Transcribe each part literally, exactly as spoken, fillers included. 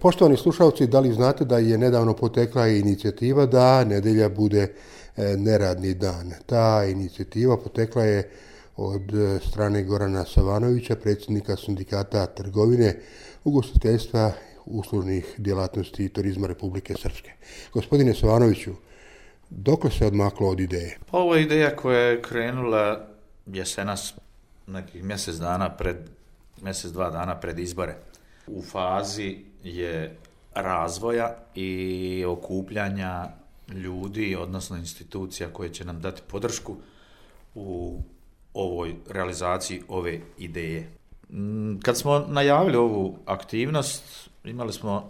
Poštovani slušalci, da li znate da je nedavno potekla inicijativa da nedjelja bude neradni dan? Ta inicijativa potekla je od strane Gorana Savanovića, predsjednika Sindikata trgovine, ugostiteljstva, uslužnih djelatnosti i turizma Republike Srpske. Gospodine Savanoviću, dokle se odmaklo od ideje? Pa ovo je ideja koja je krenula jesenas, nekih mjesec dana pred, mjesec dva dana pred izbore. U fazi je razvoja i okupljanja ljudi, odnosno institucija koje će nam dati podršku u ovoj realizaciji ove ideje. Kad smo najavili ovu aktivnost, imali smo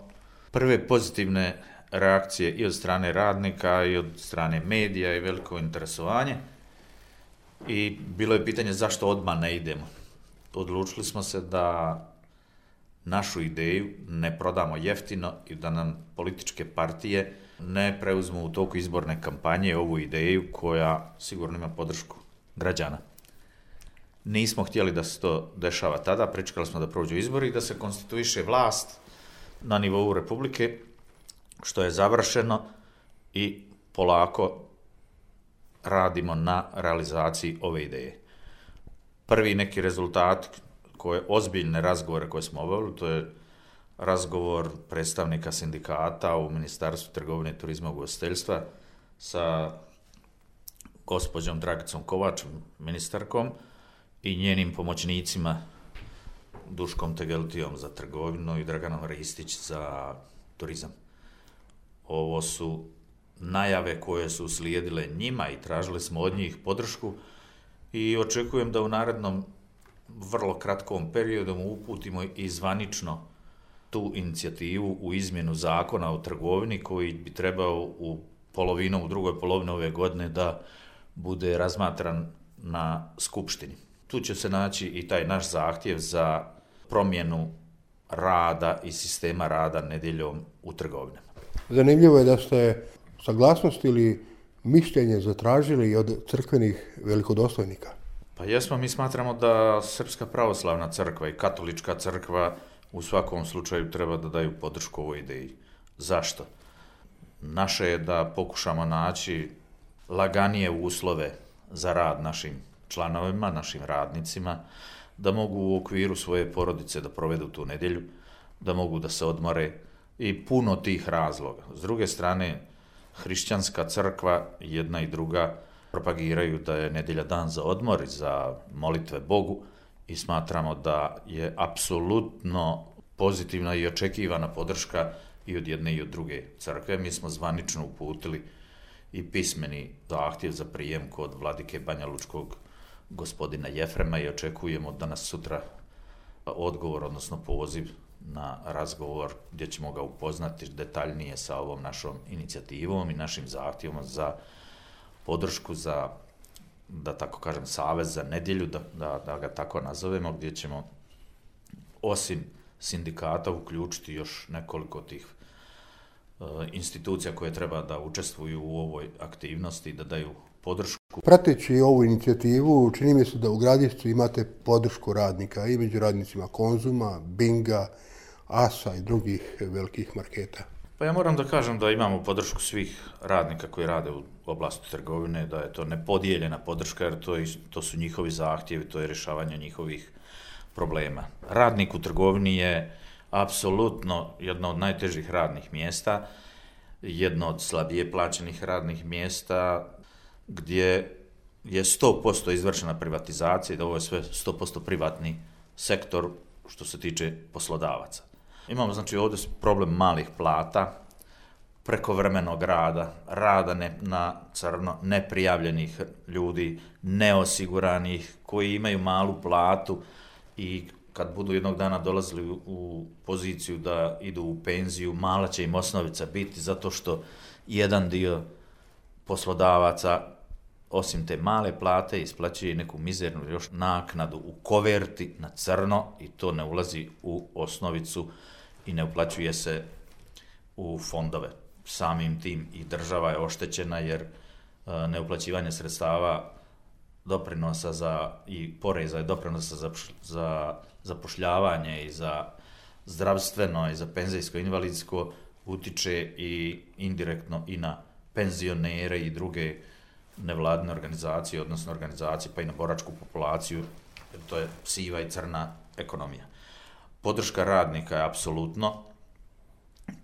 prve pozitivne reakcije i od strane radnika i od strane medija i veliko interesovanje. I bilo je pitanje zašto odmah ne idemo. Odlučili smo se da našu ideju ne prodamo jeftino i da nam političke partije ne preuzmu u toku izborne kampanje ovu ideju koja sigurno ima podršku građana. Nismo htjeli da se to dešava tada, pričekali smo da prođu izbori i da se konstituiše vlast na nivou Republike, što je završeno i polako radimo na realizaciji ove ideje. Prvi neki rezultat, koje ozbiljne razgovore koje smo obavili, to je razgovor predstavnika sindikata u Ministarstvu trgovine, turizma i ugostiteljstva sa gospođom Dragicom Kovač, ministarkom, i njenim pomoćnicima Duškom Tegeltijom za trgovinu i Draganom Ristić za turizam. Ovo su najave koje su slijedile njima i tražili smo od njih podršku i očekujem da u narednom vrlo kratkom periodu uputimo i zvanično tu inicijativu u izmjenu zakona o trgovini koji bi trebao u polovinom, u drugoj polovini ove godine da bude razmatran na skupštini. Tu će se naći i taj naš zahtjev za promjenu rada i sistema rada nedjeljom u trgovinama. Zanimljivo je da ste saglasnost ili mišljenje zatražili od crkvenih velikodostojnika. Pa jesmo, mi smatramo da Srpska pravoslavna crkva i Katolička crkva u svakom slučaju treba da daju podršku ovoj ideji. Zašto? Naše je da pokušamo naći laganije uslove za rad našim članovima, našim radnicima, da mogu u okviru svoje porodice da provedu tu nedjelju, da mogu da se odmore i puno tih razloga. S druge strane, hrišćanska crkva, jedna i druga, propagiraju da je nedjelja dan za odmor i za molitve Bogu i smatramo da je apsolutno pozitivna i očekivana podrška i od jedne i od druge crkve. Mi smo zvanično uputili i pismeni zahtjev za prijem kod vladike Banja Lučkog gospodina Jefrema i očekujemo danas sutra odgovor, odnosno poziv na razgovor gdje ćemo ga upoznati detaljnije sa ovom našom inicijativom i našim zahtjevom za podršku za, da tako kažem, savez za nedjelju, da, da, da ga tako nazovemo, gdje ćemo osim sindikata uključiti još nekoliko tih uh, institucija koje treba da učestvuju u ovoj aktivnosti i da daju podršku. Prateći ovu inicijativu, čini mi se da u Gradišcu imate podršku radnika i među radnicima Konzuma, Binga, Asa i drugih velikih marketa. Pa ja moram da kažem da imamo podršku svih radnika koji rade u oblasti trgovine, da je to nepodijeljena podrška jer to, je, to su njihovi zahtjevi, to je rješavanje njihovih problema. Radnik u trgovini je apsolutno jedno od najtežih radnih mjesta, jedno od slabije plaćenih radnih mjesta, gdje je sto posto izvršena privatizacija i da ovo je sve sto posto privatni sektor što se tiče poslodavaca. Imamo znači ovdje problem malih plata, prekovremenog rada, rada ne, na crno, neprijavljenih ljudi, neosiguranih, koji imaju malu platu i kad budu jednog dana dolazili u, u poziciju da idu u penziju, mala će im osnovica biti zato što jedan dio poslodavaca osim te male plate isplaćuje neku mizernu još naknadu u koverti na crno i to ne ulazi u osnovicu i ne uplaćuje se u fondove. Samim tim i država je oštećena jer neuplaćivanje sredstava doprinosa za, i poreza i doprinosa za, za zapošljavanje i za zdravstveno i za penzijsko i invalidsko utiče i indirektno i na penzionere i druge nevladine organizacije, odnosno organizacije pa i na boračku populaciju, to je siva i crna ekonomija. Podrška radnika je apsolutno,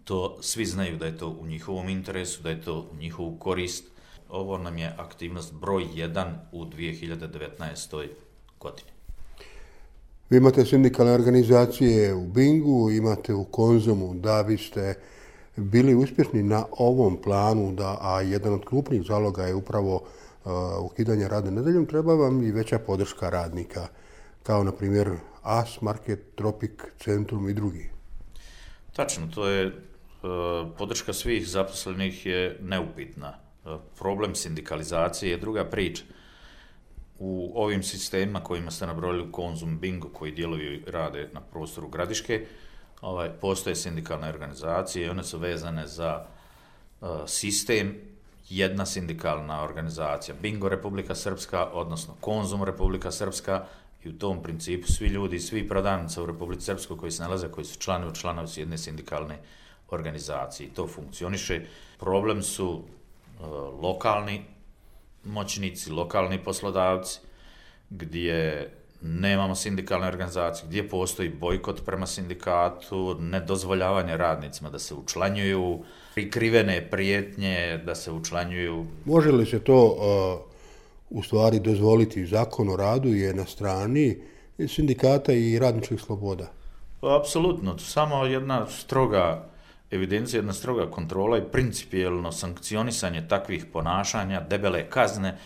to svi znaju da je to u njihovom interesu, da je to u njihovu korist. Ovo nam je aktivnost broj jedan u dvije hiljade devetnaestoj godini. Vi imate sindikalne organizacije u Bingu, imate u Konzumu. Da biste bili uspješni na ovom planu, da, a jedan od krupnih zaloga je upravo uh, ukidanje rada nedjeljom, treba vam i veća podrška radnika, kao na primjer A S, Market, Tropik, Centrum i drugi. Tačno, to je uh, podrška svih zaposlenih je neupitna. Uh, problem sindikalizacije je druga priča. U ovim sistemima kojima ste nabrojili Konzum, Bingo, koji djeluju i rade na prostoru Gradiške, ovaj, postoje sindikalne organizacije i one su vezane za uh, sistem, jedna sindikalna organizacija, Bingo Republika Srpska, odnosno Konzum Republika Srpska, i u tom principu svi ljudi, svi prodavnice u Republici Srpskoj koji se nalaze, koji su članovi, članovi su jedne sindikalne organizacije. I to funkcioniše. Problem su uh, lokalni moćnici, lokalni poslodavci, gdje nemamo sindikalne organizacije, gdje postoji bojkot prema sindikatu, nedozvoljavanje radnicima da se učlanjuju, prikrivene prijetnje da se učlanjuju. Može li se to uh, u stvari dozvoliti? Zakon o radu je na strani sindikata i radničkih sloboda. Apsolutno, samo jedna stroga evidencija, jedna stroga kontrola i principijelno sankcionisanje takvih ponašanja, debele kazne,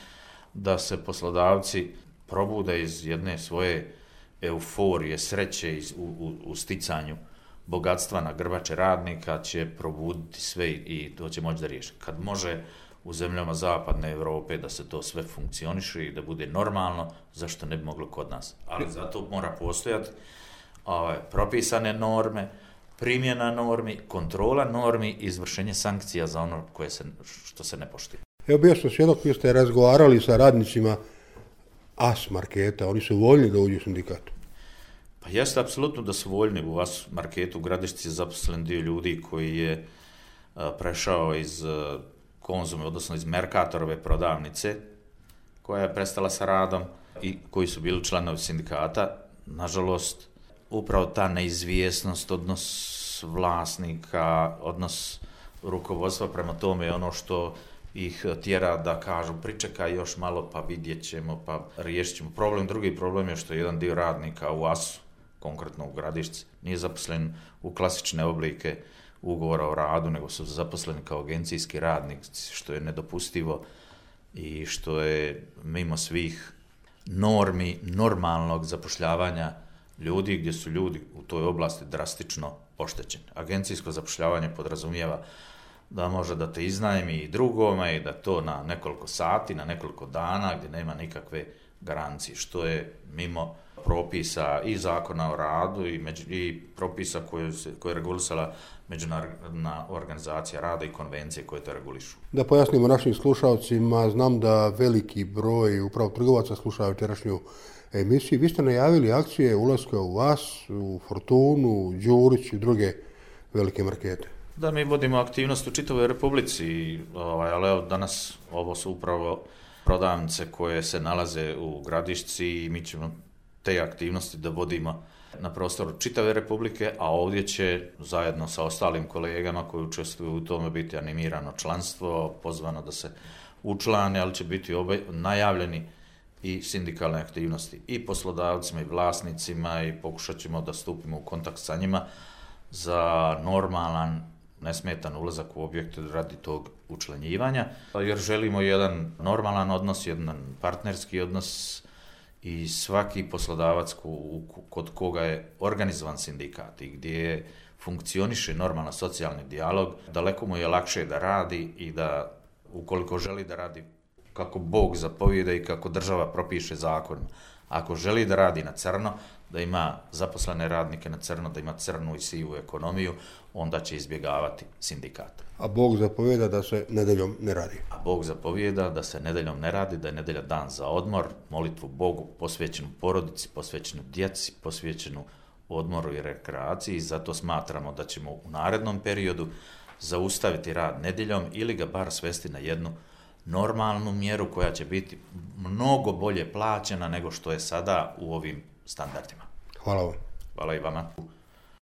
da se poslodavci probude iz jedne svoje euforije, sreće u, u, u sticanju bogatstva na grbače radnika, će probuditi sve i to će moći da riješi. Kad može u zemljama zapadne Europe da se to sve funkcioniše i da bude normalno, zašto ne bi moglo kod nas? Ali zato mora postojati ovaj, propisane norme, primjena normi, kontrola normi i izvršenje sankcija za ono koje se, što se ne poštuje. Evo bio sam svjedok, vi ste razgovarali sa radnicima A S Marketa, oni su voljni da uđu u sindikatu. Pa jeste apsolutno da su voljni. U A S Marketu u Gradišci je zaposlen dio ljudi koji je a, prešao iz a, Konzume, odnosno iz Merkatorove prodavnice, koja je prestala sa radom i koji su bili članovi sindikata. Nažalost, upravo ta neizvjesnost, odnos vlasnika, odnos rukovodstva prema tome je ono što ih tjera da kažu pričekaj još malo pa vidjet ćemo, pa riješit ćemo. Problem, drugi problem je što jedan dio radnika u A S-u, konkretno u Gradišci, nije zaposlen u klasične oblike ugovora o radu, nego su zaposleni kao agencijski radnici, što je nedopustivo i što je mimo svih normi normalnog zapošljavanja ljudi, gdje su ljudi u toj oblasti drastično oštećeni. Agencijsko zapošljavanje podrazumijeva da može da te iznajmi i drugome i da to na nekoliko sati, na nekoliko dana, gdje nema nikakve garancije, što je mimo propisa i zakona o radu i, među, i propisa koje, se, koje je regulisala Međunarodna organizacija rada i konvencije koje to regulišu. Da pojasnimo našim slušalcima, znam da veliki broj upravo trgovaca sluša večerašnju emisiju. Vi ste najavili akcije ulaska u A S, u Fortunu, Đurić i druge velike markete. Da, mi vodimo aktivnost u čitavoj Republici, ovaj, ali evo danas ovo su upravo prodavnice koje se nalaze u Gradišci i mi ćemo te aktivnosti da vodimo na prostoru čitave Republike, a ovdje će zajedno sa ostalim kolegama koji učestvuju u tome biti animirano članstvo, pozvano da se učlane, ali će biti obe, najavljeni i sindikalne aktivnosti i poslodavcima i vlasnicima i pokušat ćemo da stupimo u kontakt sa njima za normalan, nesmetan ulazak u objekte radi tog učlanjivanja, jer želimo jedan normalan odnos, jedan partnerski odnos i svaki poslodavac kod koga je organizovan sindikat i gdje funkcioniše normalan socijalni dijalog, daleko mu je lakše da radi i da, ukoliko želi da radi kako Bog zapovijeda i kako država propiše zakon. Ako želi da radi na crno, da ima zaposlene radnike na crno, da ima crnu i sivu ekonomiju, onda će izbjegavati sindikat. A Bog zapovijeda da se nedeljom ne radi. A Bog zapovijeda da se nedeljom ne radi, da je nedelja dan za odmor, molitvu Bogu posvećenu porodici, posvećenu djeci, posvećenu odmoru i rekreaciji, zato smatramo da ćemo u narednom periodu zaustaviti rad nedjeljom ili ga bar svesti na jednu normalnu mjeru koja će biti mnogo bolje plaćena nego što je sada u ovim standardima. Hvala vam. Hvala i vama.